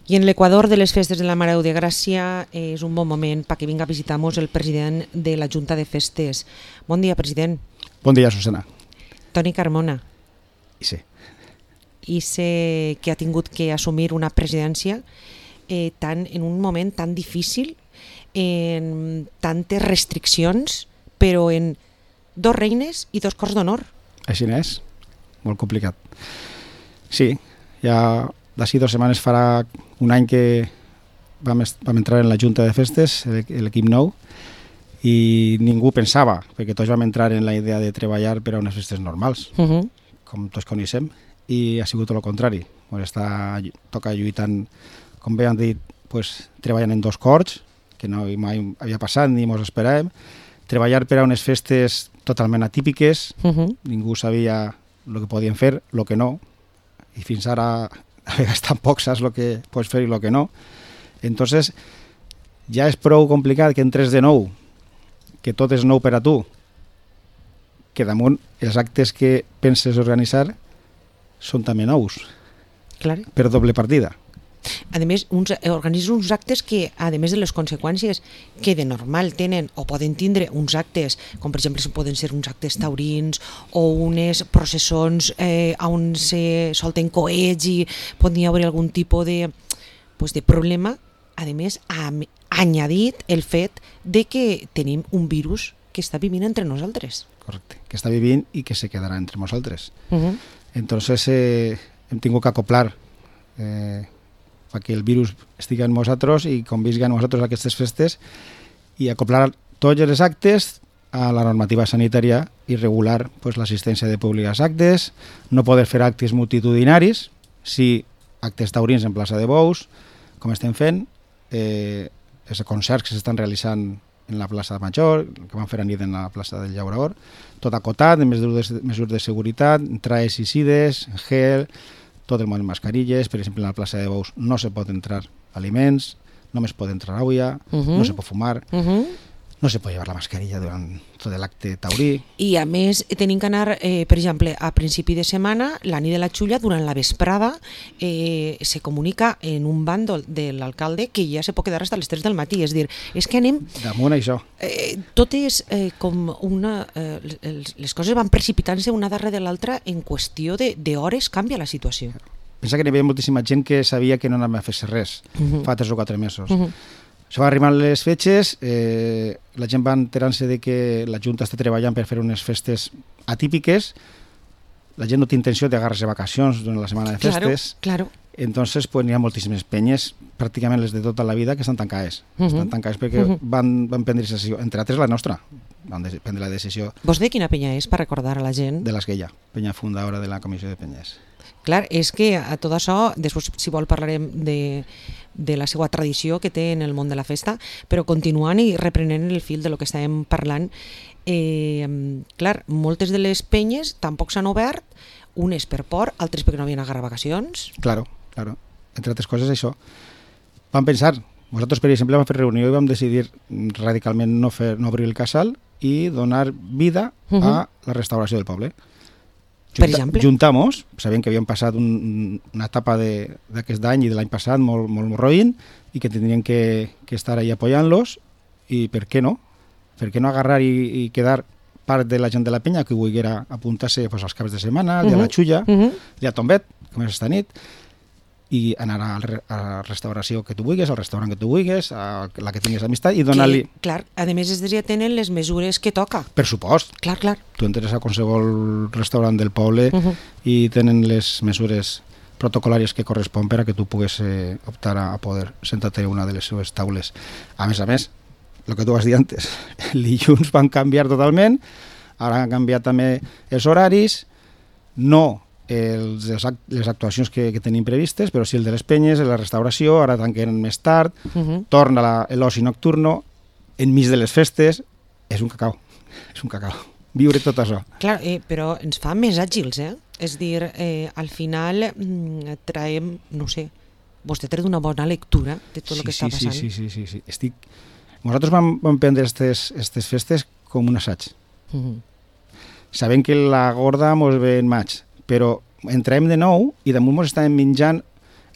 I en l'Equador de les festes de la Mare de Gràcia és un bon moment perquè vinga a visitar-nos el president de la Junta de Festes. Bon dia, president. Bon dia, Susana. Toni Carmona. I sí. I sé que ha tingut que assumir una presidència en un moment tan difícil, en tantes restriccions, però en 2 reines i 2 cors d'honor. Així n'és. Molt complicat. Sí, ja d'ací 2 setmanes farà un any que vam entrar en la Junta de Festes, l'equip nou, i ningú pensava, perquè tots vam entrar en la idea de treballar per a unes festes normals, com tots coneixem, i ha sigut tot el contrari. Toca lluitant, com bé han dit, treballant en 2 cors, que no mai havia passat ni ens esperàvem, treballar per a unes festes totalment atípiques, ningú sabia el que podien fer, el que no, i fins ara a vegades tampoc saps el que pots fer i el que no. Entonces, ja és prou complicat que entres de nou, que tot és nou per a tu, que damunt els actes que penses organitzar són també nous, per doble partida. A més, organitzen uns actes que, a més de les conseqüències que de normal tenen o poden tindre uns actes, com per exemple poden ser uns actes taurins o unes processons on se solten coets i pot haver algun tipus de problema, a més ha añadit el fet de que tenim un virus que està vivint entre nosaltres. Correcte, que està vivint i que se quedarà entre nosaltres. Entonces hem tingut que acoplar perquè el virus estigui en nosaltres i convisqui amb nosaltres aquestes festes i acoplar tots els actes a la normativa sanitària i regular l'assistència de públic als actes, no poder fer actes multitudinaris, sí actes taurins en plaça de Bous, com estem fent, els concerts que s'estan realitzant en la plaça Major, que van fer a nit en la plaça del Llaurador, tot acotat, amb mesures de seguretat, traes i sides, gel, tot el món en mascarilles. Per exemple, en la plaça de Bous no se pot entrar aliments, només pot entrar aigua, no se pot fumar, no se pot llevar la mascarilla durant tot l'acte taurí. I a més tenim que anar, per exemple, a principi de setmana, la nit de la Xulla, durant la vesprada, se comunica en un bàndol de l'alcalde que ja se pot quedar fins a les 3 del matí. És dir, és que anem... Damunt això. Tot és com una... Les coses van precipitant-se una darrere de l'altra, en qüestió d'hores canvia la situació. Pensa que hi havia moltíssima gent que sabia que no anava a fer res fa 3 o 4 mesos. Això va arribar les fetges, la gent va enterant-se de que la Junta està treballant per fer unes festes atípiques, la gent no té intenció d'agarrar-se vacacions durant la setmana de festes, entonces n'hi ha moltíssimes penyes, pràcticament les de tota la vida, que estan tancades. Estan tancades perquè van prendre decisió, entre altres la nostra, van prendre la decisió. Vos de quina penya és, per recordar a la gent? De l'Esguella, penya fundadora de la Comissió de Penyes. Clar, és que a tot això, després si vol parlarem de la seva tradició que té en el món de la festa, però continuant i reprenent el fil de lo que estàvem parlant, clar, moltes de les penyes tampoc s'han obert, unes per por, altres perquè no havien agarrat vacacions. Claro, entre altres coses això. Vam pensar, nosaltres per exemple vam fer reunió i vam decidir radicalment no obrir el casal i donar vida a la restauració del poble. Per exemple? Juntamos, sabent que havíem passat una etapa d'aquest any i de l'any passat molt roïn i que tindrien que estar ahí apoyant-los, i per què no? Per què no agarrar i quedar part de la gent de la penya que volguera apuntar-se als caps de setmana, el dia de la Xulla, el dia de Tombet, com és esta nit, i anar a la restauració que tu vulguis, al restaurant que tu vulguis, a la que tinguis amistat, i donar-li... Clar, a més ja tenen les mesures que toca. Per supost. Clar. Tu entres a qualsevol restaurant del poble i tenen les mesures protocolàries que correspon per a que tu puguis optar a poder sentar-te a una de les seves taules. A més, el que tu vas dir antes, el dilluns van canviar totalment, ara han canviat també els horaris, no les actuacions que tenim previstes, però sí el de les penyes, la restauració, ara tanquen més tard, torna l'oci nocturno, enmig de les festes, és un cacau, viure tot això. Clar, però ens fa més àgils, és dir, al final traiem, no sé, vostè té una bona lectura de tot el que està passant. Sí. Nosaltres vam prendre aquestes festes com un assaig. Sabem que la gorda mos ve en maig, però entrem de nou i damunt ens estàvem menjant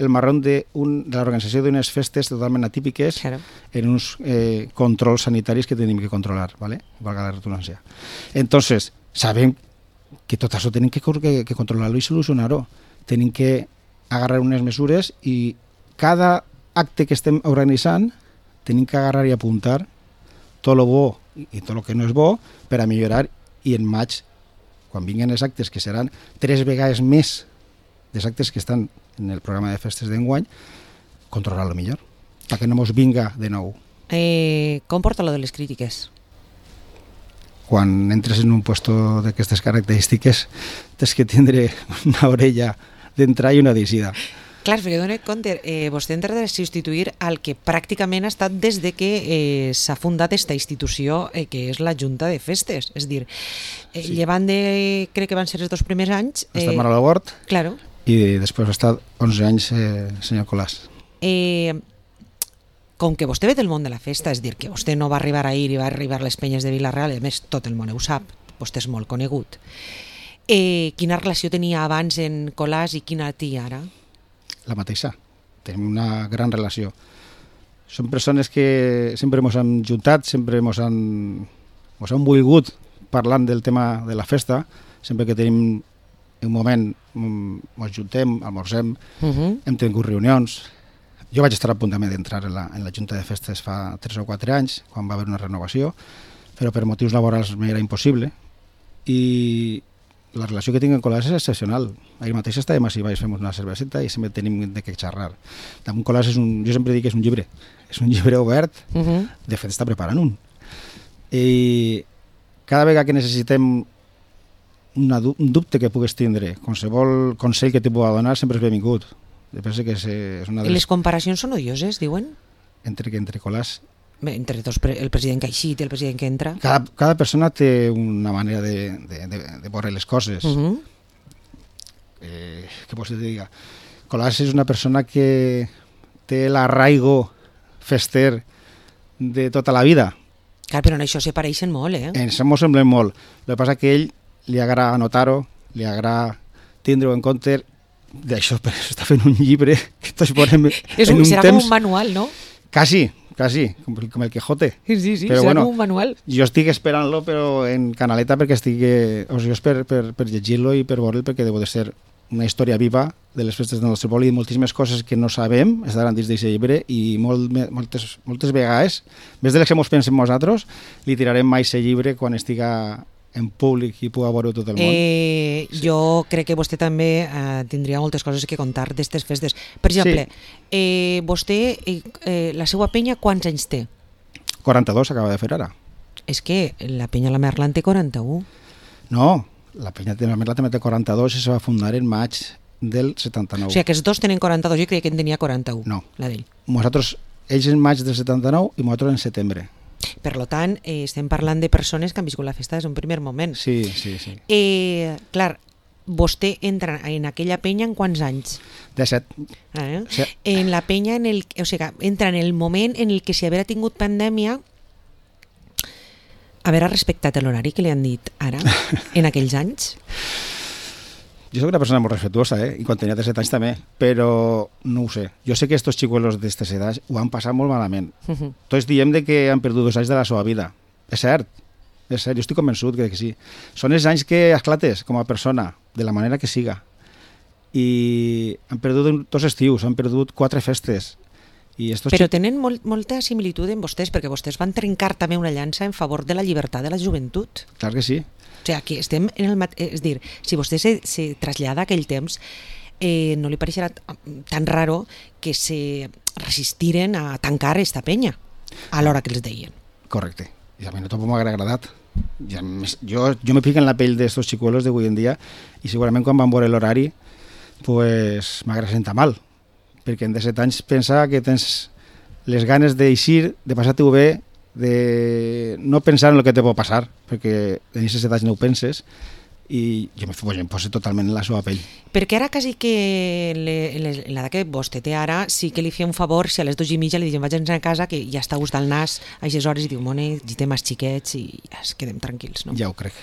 el marrón de l'organització d'unes festes totalment atípiques en uns controls sanitaris que tenim que controlar, ¿vale? Valga la redundància. Entonces, sabem que tot això tenim que controlar-ho i solucionar-ho. Tenim que agarrar unes mesures i cada acte que estem organitzant tenim que agarrar i apuntar tot lo bo i tot lo que no és bo per a millorar, i en maig, quan vinguen els actes, que seran 3 vegades més dels actes que estan en el programa de festes d'enguany, controlar-lo millor, perquè no mos vinga de nou. Com porta lo de les crítiques? Quan entres en un puesto d'aquestes característiques tens que tindre una orella d'entrar i una d'eixida. Clar, perquè dona compte, vostè entra de substituir el que pràcticament ha estat des de que s'ha fundat aquesta institució, que és la Junta de Festes. És dir, llevant de, crec que van ser els 2 primers anys... Ha estat Manuel Bort, claro. I després ha estat 11 anys senyor Colàs. Com que vostè ve del món de la festa, és dir, que vostè no va arribar ahir i va arribar a les penyes de Vila-real, i a més tot el món ho sap, vostè és molt conegut. Quina relació tenia abans en Colàs i quina té ara? La mateixa. Tenim una gran relació. Són persones que sempre ens han juntat, sempre ens han volgut parlant del tema de la festa. Sempre que tenim un moment ens juntem, almorcem, hem tingut reunions. Jo vaig estar a punt també d'entrar en la Junta de Festes fa 3 o 4 anys, quan va haver una renovació, però per motius laborals m'era impossible. I la relació que tinc amb Colàs és excepcional. Ahir mateix estàvem així, fem una cerveseta i sempre tenim de què xerrar. Damunt Colàs jo sempre dic que és un llibre. És un llibre obert, de fet està preparant un. I cada vegada que necessitem un dubte que pugues tindre, qualsevol consell que te pugui donar sempre és benvingut. Penso que és una de les... Les comparacions són odioses, diuen? Entre Colàs... Entre el president que ha eixit i el president que entra. Cada persona té una manera de veure les coses. Què vols que te diga? Colàs és una persona que té l'arraigo fester de tota la vida. Clar, però en això se pareixen molt, eh? En això m'ho semblen molt. El que passa que a ell li agrada anotar-ho, li agrada tindre-ho en compte. D'això està fent un llibre que tots veurem en un temps... Serà com un manual, no? Quasi, com el Quijote. Sí, però serà com un manual. Jo estic esperant-lo, però en canaleta, perquè és per llegir-lo i per veure'l, perquè deu de ser una història viva de les festes del nostre poble i moltíssimes coses que no sabem estaran dins d'aquest llibre, i moltes vegades, més de les que ens pensem nosaltres, li tirarem mai aquest llibre quan estiga en públic i puga veure tot el món. Sí. Jo crec que vostè també tindria moltes coses que contar d'aquestes festes. Per exemple, vostè, la seva penya, quants anys té? 42 acaba de fer ara. És que la penya La Merlan té 41. No, la penya de La Merlan també té 42 i se va fundar en maig del 79. O sigui, que els dos tenen 42, jo creia que en tenia 41. No. La d'ell. Ells en maig del 79 i nosaltres en setembre. Per tant, estem parlant de persones que han viscut la festa des d'un primer moment. Sí. Clar, vostè entra en aquella penya en quants anys? 17. Sí. En la penya, o sigui, entra en el moment en el que si haver tingut pandèmia, haver respectat l'horari que li han dit ara, en aquells anys? Jo soc una persona molt respetuosa, i quan tenia 17 anys també, però no ho sé. Jo sé que estos xicuelos d'estes edats ho han passat molt malament. Tots diem que han perdut 2 anys de la seva vida. És cert, jo estic convençut que sí. Són els anys que esclates com a persona, de la manera que siga. I han perdut 2 estius, han perdut 4 festes. Però tenen molta similitud en vostès, perquè vostès van trencar també una llança en favor de la llibertat de la joventut. Clar que sí. O sigui, que estem en el és dir, si vostè se trasllada a aquell temps, no li pareixerà tan raro que se resistiren a tancar esta penya a l'hora que els deien. Correcte. I a mi no tampoc m'ha agradat. Jo me pico en la pell d'estos xicuelos d'avui en dia i segurament quan van veure l'horari pues m'agrada sentar mal, perquè en 17 anys pensa que tens les ganes d'eixir, de passar-t'ho bé, de no pensar en el que te pot passar, perquè en aquestes edats no ho penses, i jo em poso totalment en la seva pell. Perquè ara quasi que l'edat que vostè té ara sí que li feia un favor si a les 2:30 li diuen vaig a casa, que ja està gust al nas a aquestes hores, i diu, mone, ja té més xiquets i ja es quedem tranquils, no? Ja ho crec.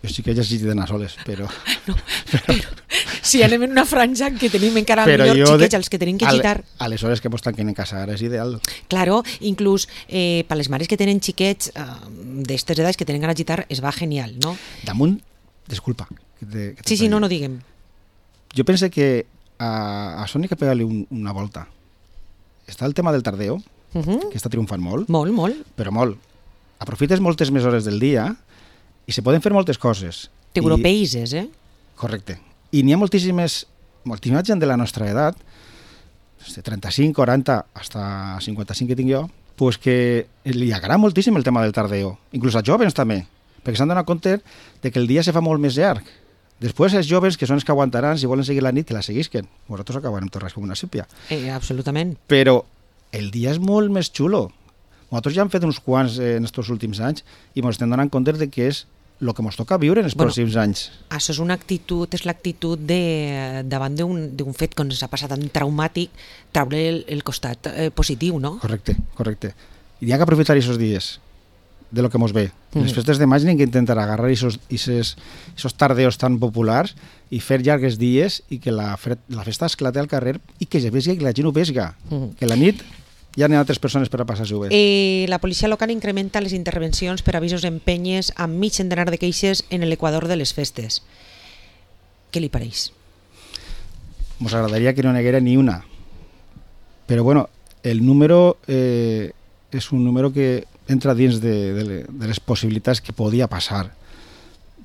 Jo sí que he llegit d'anar soles, però... No, però si anem en una franja en què tenim encara Però millor jo xiquets, els que tenim que quitar... A les hores que mos tanquen en casa ara és ideal. Claro, inclús per les mares que tenen xiquets d'estes edats que tenen ganes de gitar es va genial, no? Damunt, disculpa. Sí, no diguem. Jo pense que a Sònia que pegar-li una volta. Està el tema del tardeo, que està triomfant molt. Molt. Però molt. Aprofites moltes més hores del dia i se poden fer moltes coses. T'europeises, Correcte. I n'hi ha moltíssima gent de la nostra edat, de 35, 40, hasta 55 que tinc jo, pues que li agrada moltíssim el tema del tardeo. Inclús als joves també, perquè s'han donat compte de que el dia se fa molt més llarg. Després els joves, que són els que aguantaran, si volen seguir la nit, que la seguisquen. Vosaltres acabarem torrats com una sípia. Absolutament. Però el dia és molt més xulo. Nosaltres ja hem fet uns quants en aquests últims anys i ens estem donant compte de que és el que ens toca viure en els pròxims anys. Això és l'actitud davant d'un fet que ens ha passat tan traumàtic, treure el costat positiu, no? Correcte. I hi ha que aprofitar aquests dies de lo que ens ve. Les festes de maig n'hem d'intentar agarrar aquests tardeos tan populars i fer llargues dies i que la festa esclate al carrer i que es vesga i que la gent ho vesga. Que la nit ja n'hi ha altres persones per a passar-s'ho bé. La policia local incrementa les intervencions per avisos en penyes amb mig centenar de queixes en l'equador de les festes. Què li pareix? Ens agradaria que no n'hi haguera ni una. Però bueno, el número és un número que entra dins de les possibilitats que podia passar.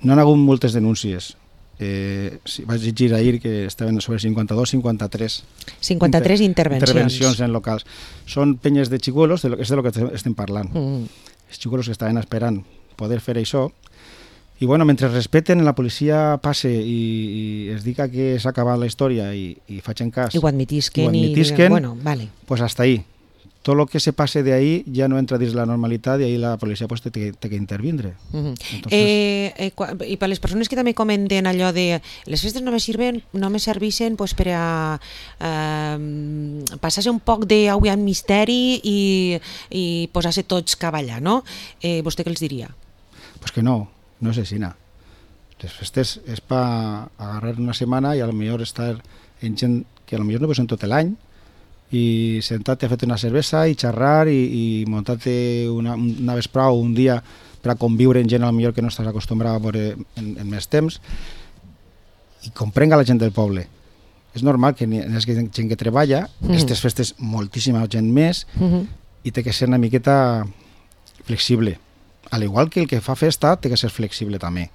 No han hagut moltes denúncies. Vaig llegir ahir que estaven sobre 53 intervencions en locals. Són penyes de xicuelos, és de lo que estem parlant. Els xicuelos que estaven esperant poder fer això. I bueno, mentre respeten, la policia passe i es diga que s'ha acabat la història i facin cas i ho admetisquen, bueno, vale. Pues hasta ahí. Tot el que se passe de ahí ja no entra dins la normalitat i ahí la policia pues, té que intervindre. I per les persones que també comenten allò de les festes no me serveixen pues, per a passar-se un poc d'agua en misteri i posar-se tots cavallar, no? Vostè què els diria? Pues que no és així. Les festes és per agarrar una setmana i a lo millor estar en gent que a lo millor no veus en tot l'any i sentar-te a fer una cervesa i xerrar i muntar-te una vesprada o un dia per a conviure en gent a lo millor que no estàs acostumbrat a veure en més temps i comprenga la gent del poble. És normal que hi hagi gent que treballa, aquestes festes moltíssima gent més i té que ser una miqueta flexible. Al igual que el que fa festa té que ser flexible també.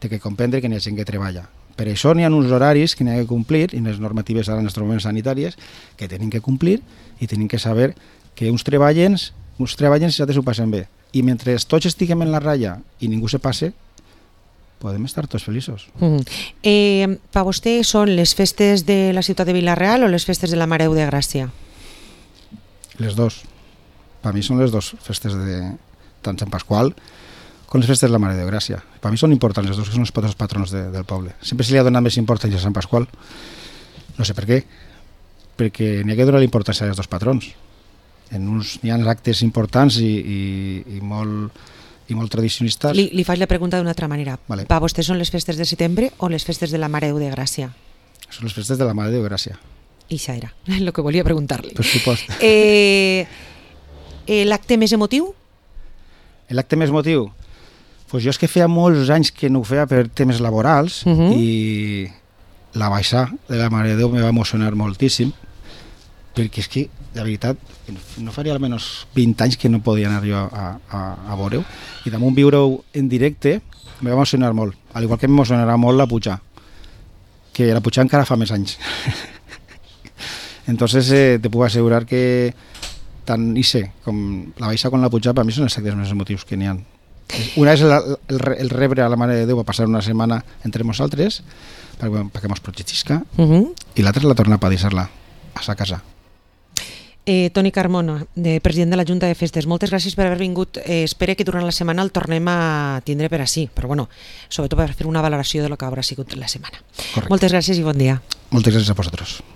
Té que comprendre que hi ha gent que treballa. Per això n'hi ha uns horaris que n'hi ha que complir i les normatives ara en els moments sanitàries que tenen que complir i tenen que saber que uns treballen i altres ho passen bé. I mentre tots estiguem en la ratlla i ningú se passe, podem estar tots feliços. Per vostè són les festes de la ciutat de Vila-real o les festes de la Mare de Gràcia? Les dos. Per mi són les dos festes de tant Sant Pasqual com les festes de la Mare de Gràcia. Per mi són importants les dos, que són els patrons del poble. Sempre se li ha donat més importància a Sant Pasqual. No sé per què. Perquè n'hi ha que donar l'importància als dos patrons. N'hi ha actes importants i molt tradicionistes. Li faig la pregunta d'una altra manera. Vale. Per vostè són les festes de setembre o les festes de la Mare de Gràcia? Són les festes de la Mare de Gràcia. I això era el que volia preguntar-li. Per supost. L'acte més emotiu? L'acte més emotiu? Pues jo és que feia molts anys que no ho feia per temes laborals i la baixa de la Mare de Déu me va emocionar moltíssim perquè és que, de veritat, no faria almenys 20 anys que no podia anar jo a veure-ho i damunt viure-ho en directe me va emocionar molt, al igual que m'emocionarà molt la Pujà, que la Pujà encara fa més anys. Entonces te puc assegurar que tant Ise com la baixa com la Pujà per mi són els actes més emotius que n'hi ha. Una és el rebre a la Mare de Déu a passar una setmana entre nosaltres perquè mos protegisca i l'altra és la tornar a padissar-la a sa casa. Toni Carmona, president de la Junta de Festes, moltes gràcies per haver vingut. Espero que durant la setmana el tornem a tindre per ací, però bueno, sobretot per fer una valoració de lo que haurà sigut la setmana. Correcte. Moltes gràcies i bon dia. Moltes gràcies a vosaltres.